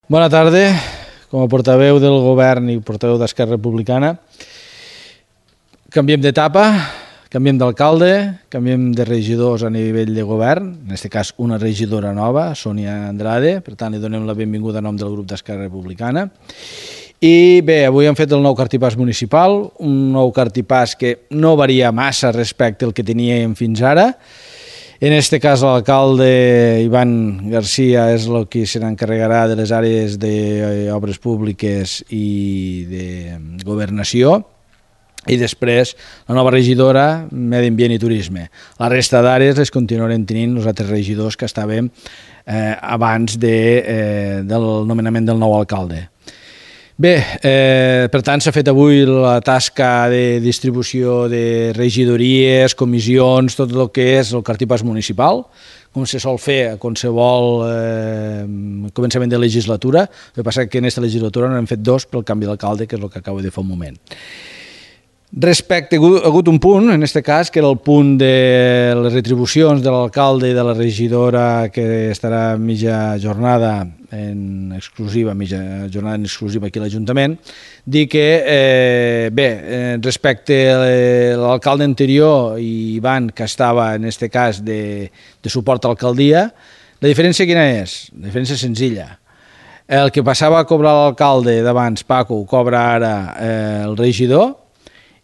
Bona tarda. Com a portaveu del govern i portaveu d'Esquerra Republicana, canviem d'etapa, canviem d'alcalde, canviem de regidors a nivell de govern, en aquest cas una regidora nova, Sònia Andrade, per tant li donem la benvinguda en nom del grup d'Esquerra Republicana. I bé, avui hem fet el nou cartipàs municipal, un nou cartipàs que no varia massa respecte al que teníem fins ara. En aquest cas l'alcalde Iván García és el que se n'encarregarà de les àrees d'obres públiques i de governació, i després la nova regidora, Medi Ambient i Turisme. La resta d'àrees les continuarem tenint els altres regidors que estàvem abans del nomenament del nou alcalde. Bé, per tant s'ha fet avui la tasca de distribució de regidories, comissions, tot el que és el cartipàs municipal, com se sol fer a qualsevol començament de legislatura. El que passa és que en aquesta legislatura n'hem fet dos pel canvi d'alcalde, que és el que acabo de fer un moment. Respecte, ha hagut un punt, en aquest cas, que era el punt de les retribucions de l'alcalde i de la regidora, que estarà mitja jornada en exclusiva aquí a l'Ajuntament, dir que, bé, respecte a l'alcalde anterior i Ivan, que estava, en aquest cas, de suport a l'alcaldia, la diferència quina és? La diferència és senzilla. El que passava a cobrar l'alcalde d'abans, Paco, ho cobra ara el regidor,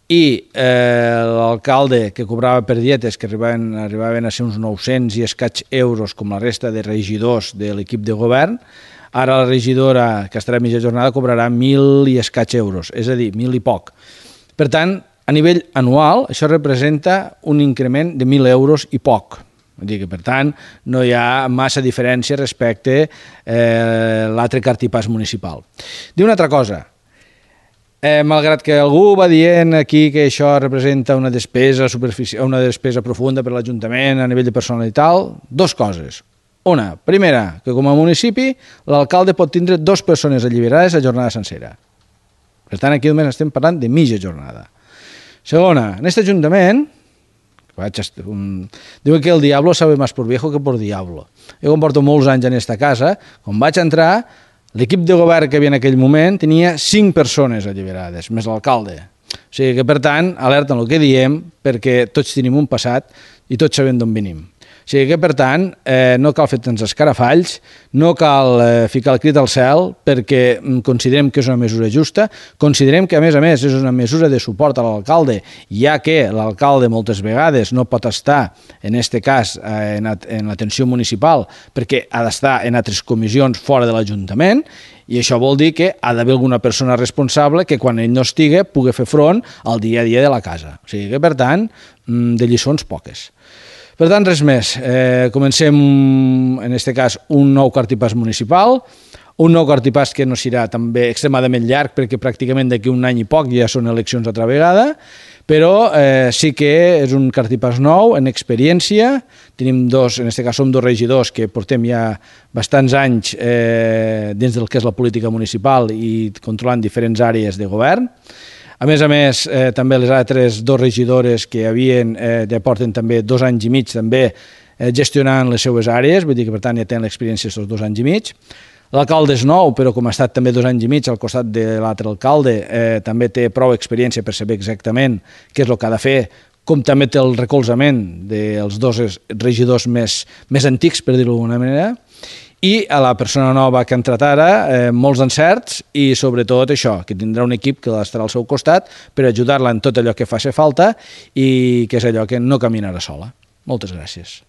i l'alcalde que cobrava per dietes, que arribaven a ser uns 900 i escaig euros com la resta de regidors de l'equip de govern, ara la regidora, que estarà a mitja jornada, cobrarà 1.000 i escaig euros, és a dir, 1.000 i poc. Per tant, a nivell anual, això representa un increment de 1.000 euros i poc. Vull dir que, per tant, no hi ha massa diferència respecte a l'altre cartipàs municipal. Diu una altra cosa. Malgrat que algú va dient aquí que això representa una despesa profunda per a l'Ajuntament a nivell de personal i tal, dues coses. Una, primera, que com a municipi l'alcalde pot tindre 2 persones alliberades a jornada sencera. Per tant, aquí només estem parlant de mitja jornada. Segona, en aquest Ajuntament, diuen que el diablo sabe más por viejo que por diablo. Jo com porto molts anys en aquesta casa, quan vaig entrar, l'equip de govern que hi havia en aquell moment tenia 5 persones alliberades, més l'alcalde. O sigui que, per tant, alerta en el que diem, perquè tots tenim un passat i tots sabem d'on venim. O sigui que, per tant, no cal fer tants escarafalls, no cal ficar el crit al cel, perquè considerem que és una mesura justa, considerem que, a més, és una mesura de suport a l'alcalde, ja que l'alcalde moltes vegades no pot estar, en aquest cas, en l'atenció municipal, perquè ha d'estar en altres comissions fora de l'Ajuntament, i això vol dir que ha d'haver alguna persona responsable que quan ell no estigui pugui fer front al dia a dia de la casa. O sigui que, per tant, de lliçons poques. Per tant, res més. Comencem, en aquest cas, un nou cartipàs municipal, un nou cartipàs que no serà també extremadament llarg perquè pràcticament d'aquí un any i poc ja són eleccions altra vegada, però sí que és un cartipàs nou, en experiència. Tenim en aquest cas som 2 regidors que portem ja bastants anys dins del que és la política municipal i controlant diferents àrees de govern. A més, també les altres 2 regidores que ja porten també 2 anys i mig també gestionant les seues àrees, vull dir que per tant ja tenen l'experiència d'aquests 2 anys i mig. L'alcalde és nou, però com ha estat també 2 anys i mig al costat de l'altre alcalde, també té prou experiència per saber exactament què és el que ha de fer, com també té el recolzament dels 2 regidors més antics, per dir-ho d'alguna manera, i a la persona nova que ha entrat ara, molts encerts i sobretot això, que tindrà un equip que estarà al seu costat per ajudar-la en tot allò que faci falta i que és allò que no caminarà sola. Moltes gràcies.